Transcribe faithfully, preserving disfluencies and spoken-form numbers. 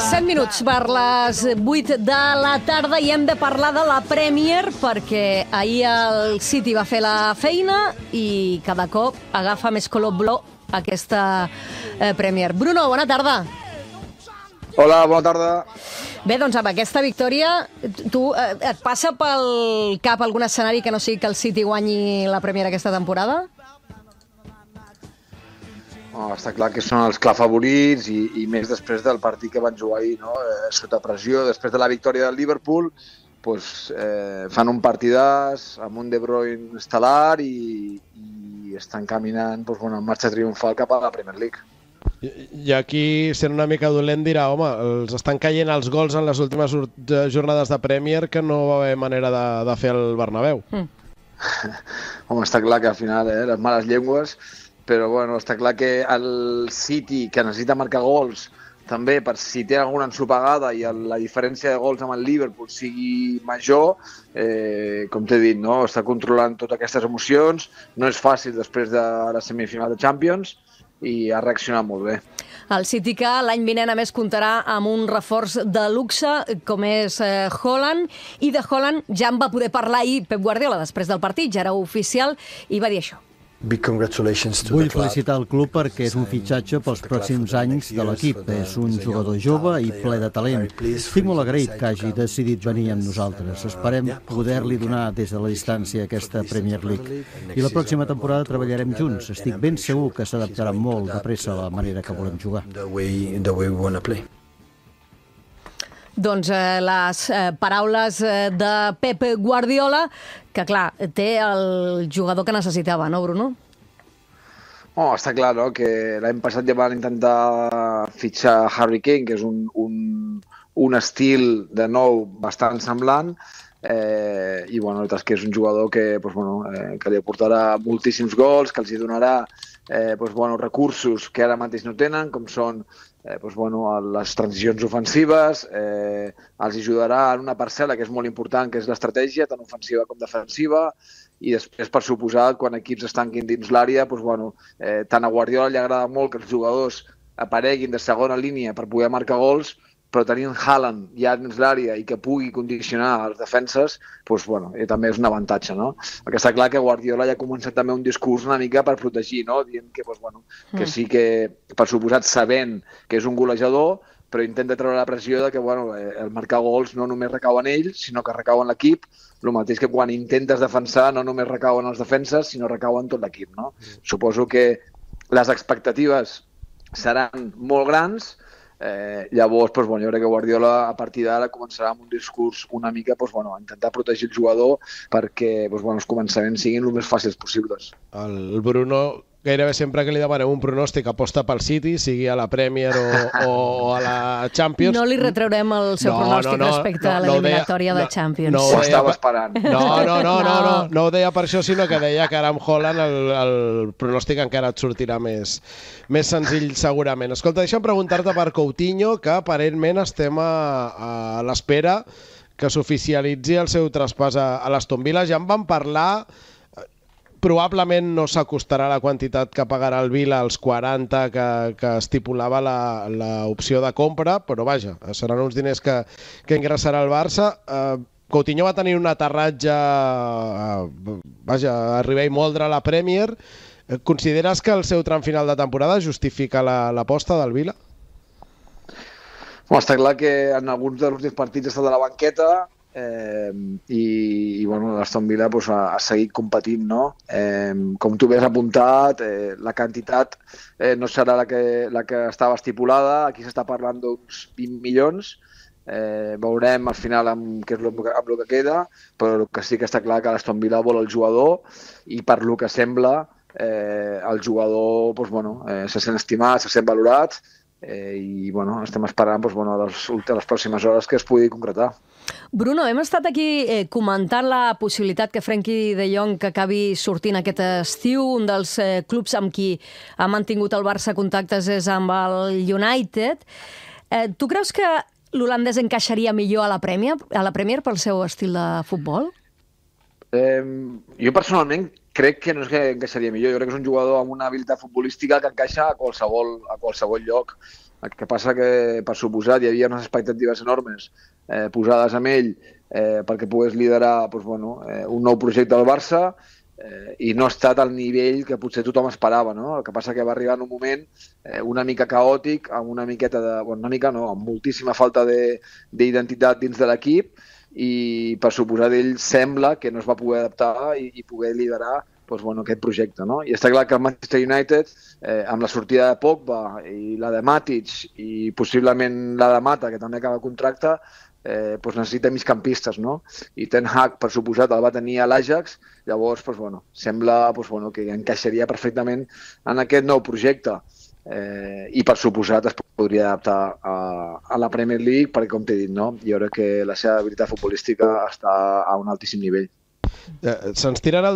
set minuts per les vuit de la tarda i hem de parlar de la Premier perquè ahir el City va fer la feina i cada cop agafa més color blau aquesta eh, Premier. Bruno, bona tarda. Hola, bona tarda. Bé, doncs amb aquesta victòria, tu eh, et passa pel cap algun escenari que no sigui que el City guanyi la Premier aquesta temporada? Oh, està clar que són els clar favorits i, i més després del partit que van jugar ahir, no? eh, sota pressió, després de la victòria del Liverpool, pues, eh, fan un partidàs amb un De Bruyne estel·lar i, i estan caminant pues, bueno, en marxa triomfal cap a la Premier League. I, i aquí, sent una mica dolent, dirà, home, els estan caient els gols en les últimes jornades de Premier que no va haver manera de, de fer el Bernabéu. Mm. Home, està clar que al final, eh, les males llengües, però bueno, està clar que el City, que necessita marcar gols, també per si té alguna ensopegada i el, la diferència de gols amb el Liverpool sigui major, eh, com t'he dit, no? Està controlant totes aquestes emocions, no és fàcil després de la semifinal de Champions i ha reaccionat molt bé. El City que l'any vinent a més comptarà amb un reforç de luxe com és eh, Haaland, i de Haaland ja en va poder parlar ahir Pep Guardiola després del partit, ja era oficial, i va dir això. Vull felicitar el club perquè és un fitxatge pels pròxims anys de l'equip. És un jugador jove i ple de talent. Estic molt agraït que hagi decidit venir amb nosaltres. Esperem poder-li donar des de la distància aquesta Premier League. I la pròxima temporada treballarem junts. Estic ben segur que s'adaptarà molt de pressa a la manera que volem jugar. Doncs eh, les eh, paraules eh, de Pep Guardiola, que clar, té el jugador que necessitava, no, Bruno? Oh, està clar, no?, que l'any passat ja van intentar fitxar Harry Kane, que és un, un, un estil de nou bastant semblant, eh, i bueno, la veritat és que és un jugador que, pues, bueno, eh, que li aportarà moltíssims gols, que els hi donarà eh, pues, bueno, recursos que ara mateix no tenen, com són Eh, doncs, bueno, les transicions ofensives, eh, els ajudarà en una parcel·la que és molt important, que és l'estratègia, tant ofensiva com defensiva, i després, per suposat, quan equips es tanquin dins l'àrea, doncs, bueno, eh, tant a Guardiola li agrada molt que els jugadors apareguin de segona línia per poder marcar gols, però tenint Haaland ja dins l'àrea i que pugui condicionar els defenses, doncs, bueno, eh, també és un avantatge, no? Perquè està clar que Guardiola ja ha començat també un discurs una mica per protegir, no? Dient que, doncs, bueno, que sí que, per suposat, sabent que és un golejador, però intenta treure la pressió de que, bueno, eh, el marcar gols no només recau en ell, sinó que recau en l'equip, el mateix que quan intentes defensar no només recau en els defenses, sinó recau en tot l'equip, no? Mm. Suposo que les expectatives seran molt grans. Eh, llavors, doncs, bueno, jo crec que Guardiola a partir d'ara començarà amb un discurs una mica, doncs, bueno, a intentar protegir el jugador perquè, doncs, bueno, els començaments siguin el més fàcils possibles. El Bruno, gairebé sempre que li demanem un pronòstic, aposta pel City, sigui a la Premier o, o a la Champions. No li retraurem el seu no, pronòstic no, no, respecte no, a l'eliminatòria no de Champions. No, no ho estava esperant. No, no, no, no, no, no ho deia per això, sinó que deia que ara amb Haaland el, el pronòstic encara et sortirà més, més senzill segurament. Escolta, deixa'm preguntar-te per Coutinho, que aparentment estem a, a l'espera que s'oficialitzi el seu traspàs a, a l'Aston Villa. Ja en vam parlar. Probablement no s'acostarà la quantitat que pagarà el Vila als quaranta que, que estipulava l'opció de compra, però vaja, seran uns diners que, que ingressarà el Barça. Eh, Coutinho va tenir un aterratge, eh, vaja, arribar i moldre a la Premier. Consideres que el seu tram final de temporada justifica l'aposta la, del Vila? Bueno, està clar que en alguns dels últims partits ha estat a la banqueta, Eh, i, i bueno, l'Aston Villa pues, ha, ha seguit competint, no? Eh, com tu bé has apuntat, eh, la quantitat eh, no serà la que, la que estava estipulada. Aquí s'està parlant d'uns vint milions. Eh, veurem al final amb què és lo, amb el que queda, però el que sí que està clar que l'Aston Villa vol el jugador i per lo que sembla eh, el jugador pues, bueno, eh, se sent estimat, se sent valorat, eh, i bueno, estem esperant pues, bueno, les, les pròximes hores que es pugui concretar. Bruno, hem estat aquí eh, comentant la possibilitat que Frenkie de Jong que acabi sortint aquest estiu. Un dels eh, clubs amb qui ha mantingut el Barça contactes és amb el United. Eh, tu creus que l'holandès encaixaria millor a la Premier, a la Premier pel seu estil de futbol? Eh, jo personalment crec que no és que encaixaria millor. Jo crec que és un jugador amb una habilitat futbolística que encaixa a qualsevol, a qualsevol lloc. El que passa que, per suposat, hi havia unes expectatives enormes eh, posades amb ell eh, perquè pogués liderar doncs, bueno, eh, un nou projecte al Barça, eh, i no ha estat al nivell que potser tothom esperava, no? El que passa que va arribar en un moment eh, una mica caòtic, amb una miqueta de... Bueno, una mica no, amb moltíssima falta d'identitat dins de l'equip, i per suposat ell sembla que no es va poder adaptar i, i poder liderar doncs, bueno, aquest projecte. No? I està clar que el Manchester United, eh, amb la sortida de Pogba i la de Matic i possiblement la de Mata, que també acaba contracte, eh, doncs necessita migcampistes, no? I Ten Hag, per suposat, el va tenir a l'Ajax, llavors doncs, bueno, sembla doncs, bueno, que encaixaria perfectament en aquest nou projecte. Eh, I per suposat es podria adaptar a, a la Premier League, perquè com t'he dit, no? Jo crec que la seva habilitat futbolística està a un altíssim nivell. Eh, Se'ns tirarà